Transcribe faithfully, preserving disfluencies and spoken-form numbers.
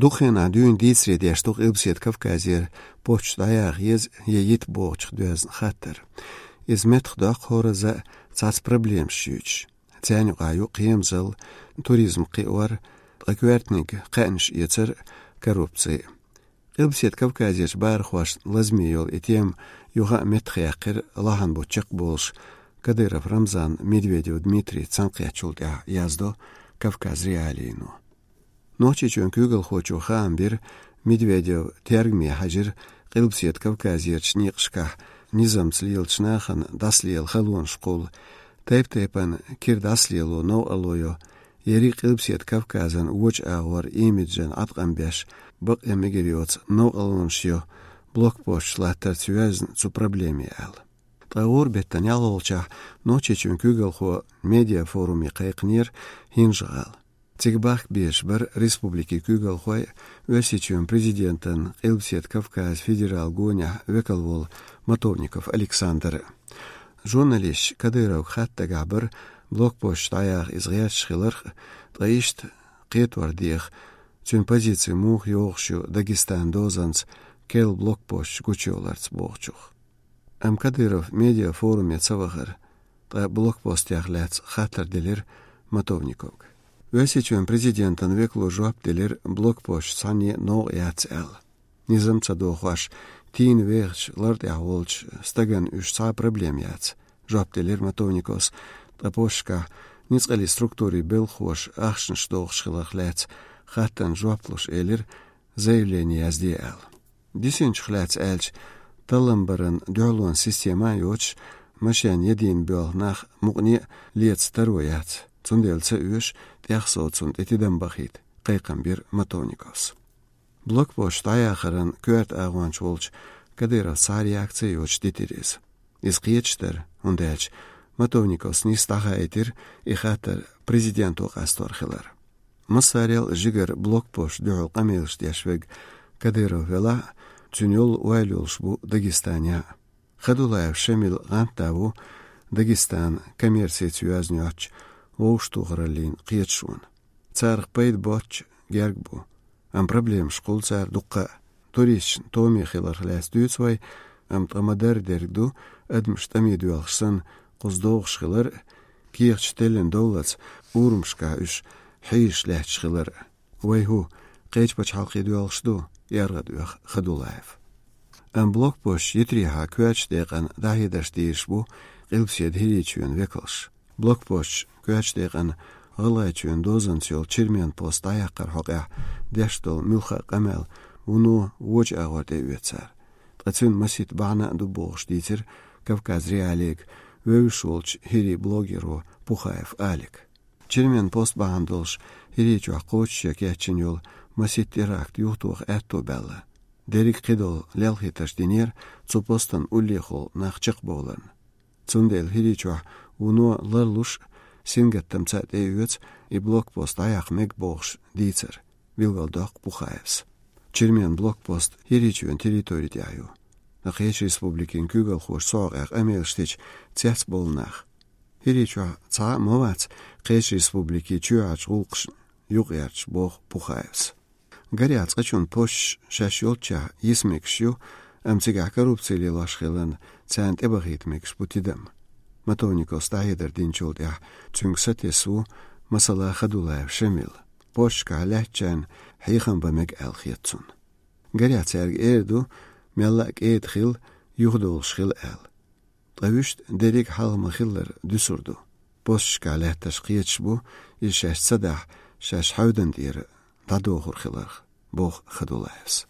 Дукха хенахь дуьйна дийцаре деш ду Къилбаседа Кавказера посташ дӀаяха еза я йита бохучух доьзна хаттар. Иза меттахдоккху хӀоразза цхьацца проблемаш юьйцуш. Царна юкъахь ю кхерамзалла, туризм кхиор, ткъа коьртаниг кхаьънаш эцар, коррупци. Къилбаседа Кавказерчу бахархошна лазаме йолу и тема юха а меттахъяьккхира лахьанбутту чекхболуш Кадыров Рамзан, Медведев Дмитрий цхьаьнакхеттачул тӀаьхьа, яздо Кавказ.Реалиино. Нохчийчоьнан куьйгалхочо хаам бира, Медведев тергаме хьаьжира Къилбаседа Кавказерчу некъашкахь низамца лелачу нахана дӀасалела халонаш кхулла, тайп-тайпана кира дӀасалело, новкъарло йо, ерриг Къилбаседа Кавказан вочу агӀор имиджан Ӏаткъам беш, бакъ я мегар йоцу новкъарлонаш йо, блокпосташ латтарца йоьзна цу проблеме аьлла. Ткъа гӀуран беттан ялхолгӀачохь Нохчийчоьнан куьйгалхо медиафоруме кхайкхинера ХӀинжа-ГӀала. Цига бахка безаш бара республикин куьйгалхой, Оьрсийчоьнан президентан Къилбаседа Кавказан федералан гонехь векал волу Матовников Александр. Журналисташа Кадыровга хатта дагахь бара блокпосташ дӀаяха иза гӀерташ хиларх, ткъа иштта кхетор деха, цуьнан позици муха йогӀуш ю Дагестанан дозанца керла блокпосташ гучуйовларца бохучух. Амма Кадыров медиафоруме ца вахара, ткъа блокпостех лаьцна хаттар делира Матовниковга. Оьрсийчоьнан президентан векало жоп делира, блокпосташ цхьанне новкъа яц аьлла. Низам ца дохош, тийна вехачу лар тӀехь волчу стагана уьш цхьа а проблема яц, жоп делира Матовниковс, ткъа посташкахь ницкъаллин структурийн белхахоша ахчанаш дохуш хиларх лаьцна хаттарна жоп луш элира, заявление язде аьлла. Дисинчух лаьцна аьлча, таллам баран дуьхьалонан система а йоцуш, машен ядийна боьлху нах мукъане а леца таро яц, цундела ца оьшу тӀехсовцунна тӀе тидам бахийта, кхайкхам бира Матовниковс. Блокпосташ дӀаяхаран коьрта агӀонча волчу Кадыровс цхьа а реакци а йоцуш дитира иза. Иза кхеташ дара, хӀунда аьлча Матовниковс нийса дӀахаийтира и хаттар президенто къастор хилар. Массарел а жигара блокпосташна дуьхьал къамелаш деш верг Кадыров велахь а, цуьнан йолу ойла йолуш бу Дагестанехь а. Хадулаев Шамил гӀантда ву Дагестанан коммерцица йоьзна йоцчу вовшахтохараллин кхеташонан. Царах пайда боцчу герга бу. Амма проблемаш кхуллу цара дуккха а. Туристашна томе хиларх лаьцна дуьйцу вай, амма ткъа ма-дарра дерг ду адамаш тӀаме доьлхуш санна кхуза догӀуш хилар а, кехаташ теллина довллалц урамашкахь уьш хьийзаш лаьтташ хилар а. Вай хӀу, кхечу пачхьалкхе доьлхуш ду? — яргӀад оьху Хадулаев. Амма блокпосташ йитарехьа коьртачу декъана дӀахьедарш дийраш бу Къилбаседа ХӀирийчоьнан векалш. Блокпосташ коьртачу декъана ГӀалгӀайчоьнан дозанца йолу Чермен пост дӀаяккхаран хьокъехь деш долу муьлхха а къамел вуно вочу агӀор тӀеоьцу цара. Ткъа цуьнан масийтта бахьана а ду бохуш дийцира Кавказ.Реалиига вевзаш волчу хӀирийн блогеро Пухаев Алика. Чермен пост бахьана долуш ХӀирийчохь кхочушъян кечйина йолу масийтта теракт юхатоха аьтто баьлла. Дерриг кхидолу лелхийтарш динера цу постан уллехула нах чекхбовларна. Цундела ХӀирийчохь вуно ларлуш а, сингаттамца а тӀеоьцу и блокпост дӀаяккха мега бохуш дийцар, билгалдоккху Пухаевс. Чермен блокпост ХӀирийчоьнан территори тӀехь ю. Ткъа кхечу республикийн куьйгалхоша цу хьокъехь къамелаш дича цецбовлу нах. ХӀирийчохь цхьа а ма вац кхечу республикийн чоьхьарчу гӀуллакхашна юкъаярташ, боху Пухаевс. Гарехь, цкъачунна посташ шаьш йолччехь йиса мегаш ю, амма цигахь коррупци лелош хиларна, царна тӀебахийта мегаш бу тидам. Матовниковс дӀахьедар динчул тӀаьхьа цуьнга сатесна ву, масала, Хадулаев Шамил. Посташкахь лаьттачарна хьехам бан мега аьлла хета цунна. Гарехь, цаьрга эр ду, мелла а кӀеда хила, юхадовлуш хила аьлла. Ткъа вуьшта дерриг хьалха ма-хиллара дуьсур ду. Посташкахь лаьттарш кхеташ бу, иза шаьш ца дахь, шаьш хьевдан тӀера дӀадохур хиларх, боху Хадулаевс.